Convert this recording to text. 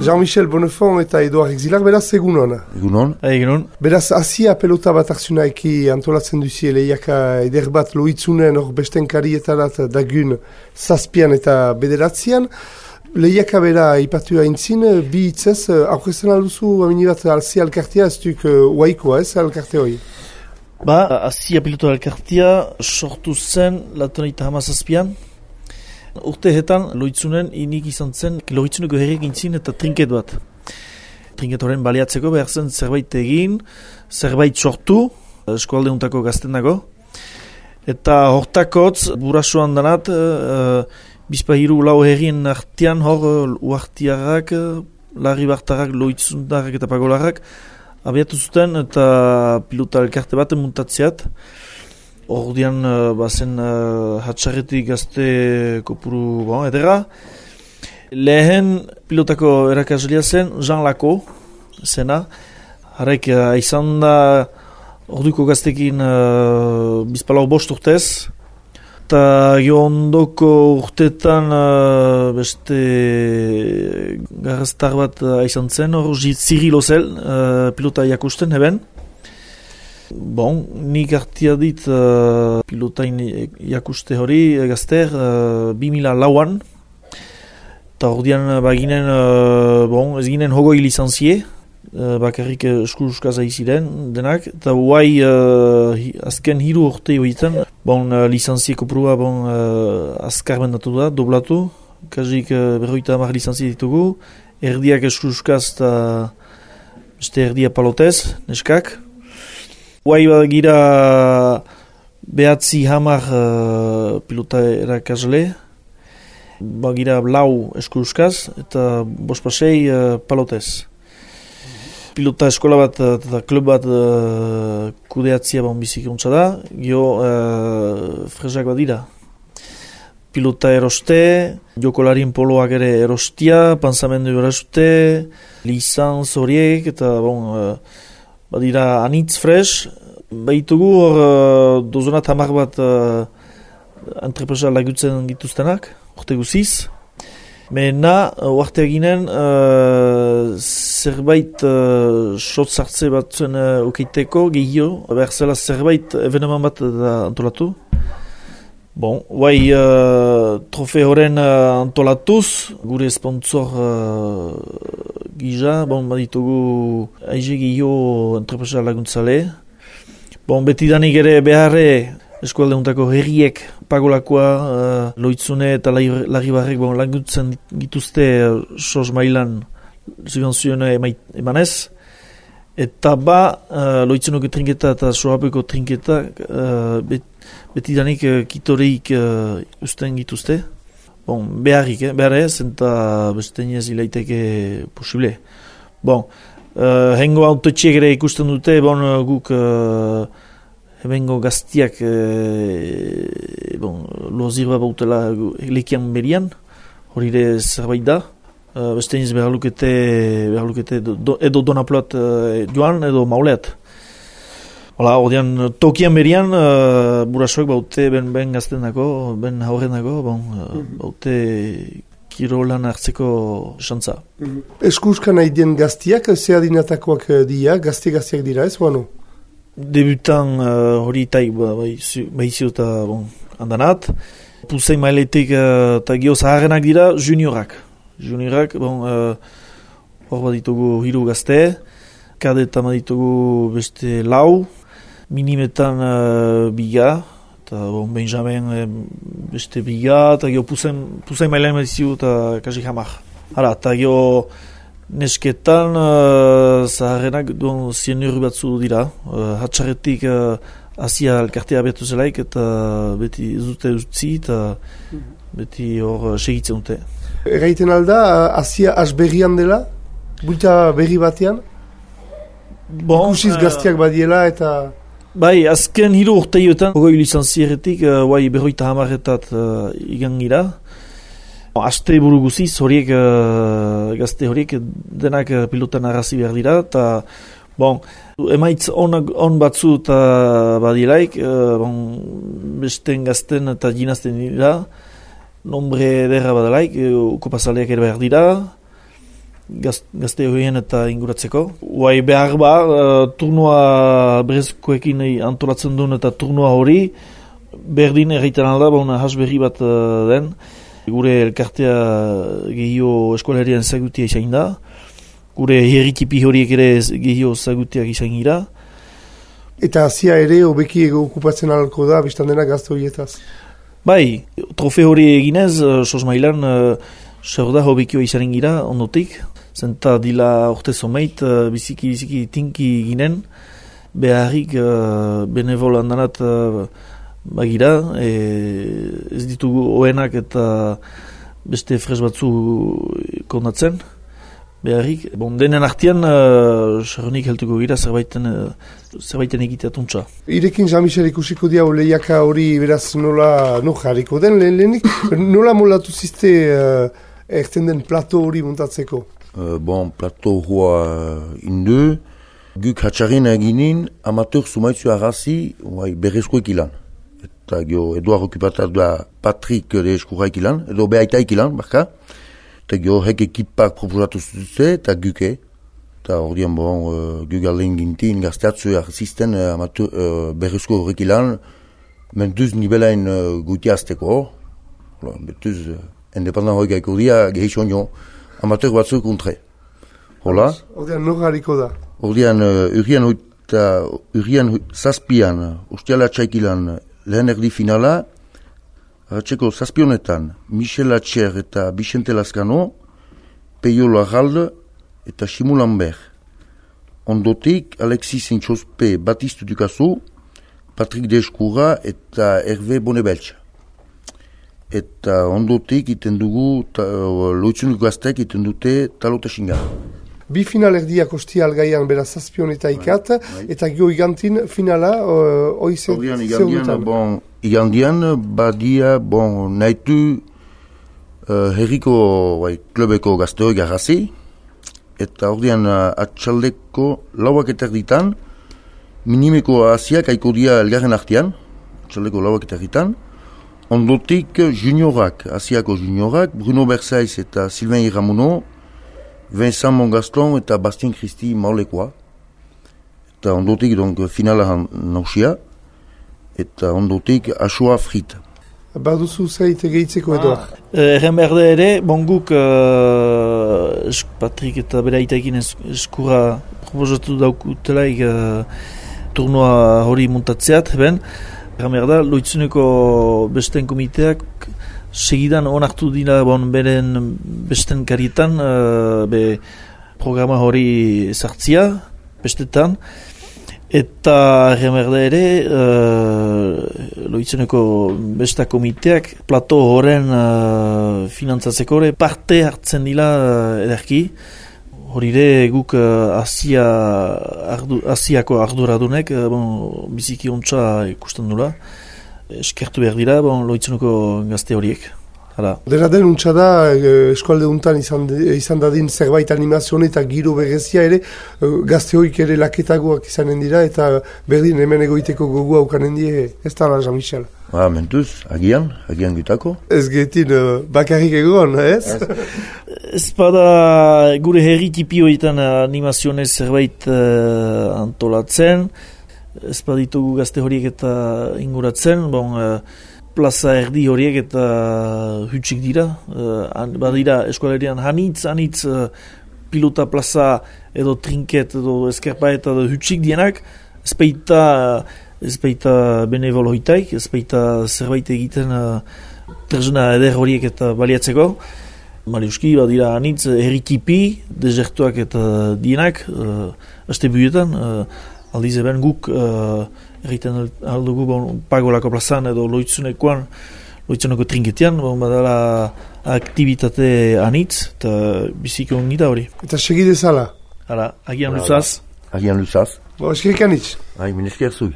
Jean-Michel Bonnefond eta Eduard Exilak, beraz egunon. Egunon. Egunon. Beraz, hasia pelota bat hartzunaiki antolatzen duzie lehiaka eder bat loitzunen hor besten karietarat dagun zazpian eta bederatzean. Lehiaka bera ipatu haintzin, bi hitzez, aurkezten alduzu aminibat alzia alkartea, ez duk uaikoa ez alkarte hori? Hasia pelota alkartea sortu zen latoneita hamazazpian. Urteetan loitzunen inik izan zen loitzuneko herriak intzin eta trinket bat. Trinket horren baliatzeko behar zen zerbait egin, zerbait sortu, eskualdeuntako gazten dago. Eta hortakotz, burasuan danat, bizpahiru lau herrien artean hor uartiarrak, larri bartarrak, loitzundarrak eta pagolarrak abiatu zuten eta pilota elkarte baten muntatzeat. Ordian bazen hatxarretik gazte kopuru edera. Lehen pilotako erakaslia zen Jean Lako zena. Harek izan da orduko gaztekin bizpalau bost urtez. Eta ondoko urtetan beste garraztar bat izan zen. Hor Zirilo zel pilota jakusten heben. Nik hartia dit pilotain jakuste hori gazter 2004an. Eta ordian baginen, ez ginen hogoi lizantzie, bakarrik eskuruskaz aiziren denak. Eta guai azken hiru urte horietan, lizantzie kopurua azkar bendatu da, doblatu. Kazik berroita hamar lizantzie ditugu, erdiak eskuruskaz eta beste erdia palotez, neskak. Guai gira behatzi hamar pilota erakasle, gira lau eskuruskaz eta bospasei palotez. Pilota eskola bat eta klub bat kudeatzia biziki untsa da, fresak bat dira. Pilota eroste, jokolarien poloak ere erostia, panzamendu eroste, lizanz horiek eta badira anitz fresh, behitugu hor dozonat hamar bat entrepresa lagutzen gituztenak, urte guziz. Mena, uartea ginen, zerbait sotzartze batzuen ukeiteko, gehio, behar zela zerbait eveneman bat antolatu. Trofe horren antolatuz, gure sponsor gisa, baditugu aize gehio entrepresa laguntzale. Betidanik ere beharre eskualdeuntako herriek pagolakoa, loitzune eta larribarrek laguntzen gituzte sos mailan subvenzioen emanez. Eta loitzunoko trinketa eta soapeko trinketa betidanik kitoreik usten gituzte. Beharrez, eta bestenez ilaiteke posible. Hengo autotxiek ere ikusten dute, guk hebengo gaztiak lozirba bautela lekian berian, hori ere zerbait da. Bestenez behar lukete edo donaploat joan edo mauleat. Ordean tokian berian burasoak baute ben gazten dako, ben haurren dako, baute kirolan hartzeko xantza. Eskuskan nahi dien gaztiak, zehadinatakoak dira, gaztiak dira ez, bano? Debutan hori taik behizio eta handanat. Puzein mailetik eta gio zaharrenak dira juniorak. Juniorak, hor bat ditugu hiru gazte, kadetan bat ditugu beste lau, minimetan biga, eta Benjamin beste biga, eta gio puzein mailean bat dizu eta kasik hamar. Eta gio nesketan zaharrenak zien euro batzu dira, hatxarretik hasia elkartea abiatu zelaik, eta beti ez dute utzi, eta beti hor segitzen dute. Erraiten alda, hasia asberrian dela, bulta berri batean? Ikusiz gaztiak badiela eta... Azken hiru urteioetan, hogoi lisanzieretik, berroita hamarretat igangira. Aste buru guziz, horiek, gazte horiek, denak pilotan arrazi behar dira, eta emaitz on batzu eta badielaik, besten gazten eta jinazten dira, nombre derra badalaik, kopazaleak ere behar dira, gazte horien eta inguratzeko. Uai behar ba, turnua berezkoekin antolatzen duen eta turnua hori, berdin erraiten alda, hasberri bat den, gure elkartea gehio eskolarian zagutia izan da, gure herritipi horiek ere gehio zagutiak izan gira. Eta hasia ere hobeki okupatzen alko da, biztan dena gazte horietaz? Bai, trofe hori eginez, sos mailan, zer da hobekio izanen gira, ondotik, zenta dila orte zomeit, biziki tinki ginen, beharrik benevol handanat bagira, ez ditugu oenak eta beste fres batzu kondatzen, beharrik. Denen artian, sarronik heltuko gira, zerbaiten egiteatuntza. Irekin Jean-Michel ikusiko diau lehiaka hori beraz nola jarriko den lehenik, nola molatu zizte erten den plato hori montatzeko? Plato hoa indu, guk hatxarren eginin amateur sumaitzu agazi berrezkoek ilan. Eta Eduard okupatar da Patrick de Eskurraik ilan, edo behaitaik ilan, barka. Eta hek ekipak proposatu zutze, eta guke. Eta hor dian guk aldein gintin gazteatzu arzisten berrezko horrek ilan, mentuz nivelain gutiazteko. Betuz, independent hori gaiko dia, gehizon jo, amateur batzuk untre. Hola? Hor dian nor hariko da? Hor dian urian zazpian, ustiala txaikilan, lehen erdi finala, hartzeko zazpionetan, Michel Atxer eta Vicente Lascano, Peio Larralde eta Simon Lambert. Ondotik, Alexis Intxospe Batistu Dukazu, Patrick Deskurra eta Hervé Bonebeltxa. Eta ondotik iten dugu, loitzunik gaztek iten dute Talota Xinga. Bi final erdiak ostia algaian beraz zazpion eta ikat, eta gio igantin finala oizen zeudutan. Igandian badia nahitu herriko klubeko gazteoi garrazi, eta ordean atxaldeko lauak eta erditan, minimeko asiak aiko dia elgarren artean, atxaldeko lauak eta erditan, ondotik juniorak, asiako juniorak, Bruno Bersaiz eta Sylvain Iramuno, Vincent Mongaston eta Bastien Christi maulekoa. Eta ondotik finala nausia, eta ondotik asua frita. Baduzu zaite gehitzeko edo? Erren berde ere, guk Patrik eta bera itaekin eskura proposatu daukutelaik turnua hori montatzeat, erren berda, loitzuneko besten komiteak segidan onartu dira beren besten karietan programa hori sartzia, bestetan, eta remerde ere loitzuneko besta komiteak plato horren finantzatzeko parte hartzen dira ederki. Hori ere guk Asiako arduradunek biziki ontsa ikusten dula. Eskertu behar dira, loitzuneko gazte horiek. Dena den untsa da, eskualde untan izan dadin zerbait animazioa eta giro berezia ere, gazte horiek ere laketagoak izanen dira, eta berdin hemen egoiteko gogu haukanen die, ez da la Jean-Michel. Mentuz, agian gutako. Ez getin bakarrik egon, ez? Ez bada gure herri tipioetan animazionez zerbait antolatzen, ez baditugu gazte horiek eta inguratzen, plaza erdi horiek eta hutsik dira. Badira eskolarian hanitz pilota plaza edo trinket edo eskerpaet edo hutsik dienak, ez baita benevol hoitaik, ez baita zerbait egiten tresna eder horiek eta baliatzeko. Mariuski, badira hanitz herritipi, desertuak eta dienak, aste buietan, aldiz eben guk erriten aldugu pagolako plazan edo loitzuneko trinketian, badala aktivitate anitz eta biziko ongita hori. Eta segidezala? Agian luzaz. Agian luzaz. Eskerik anitz. Minesker zui.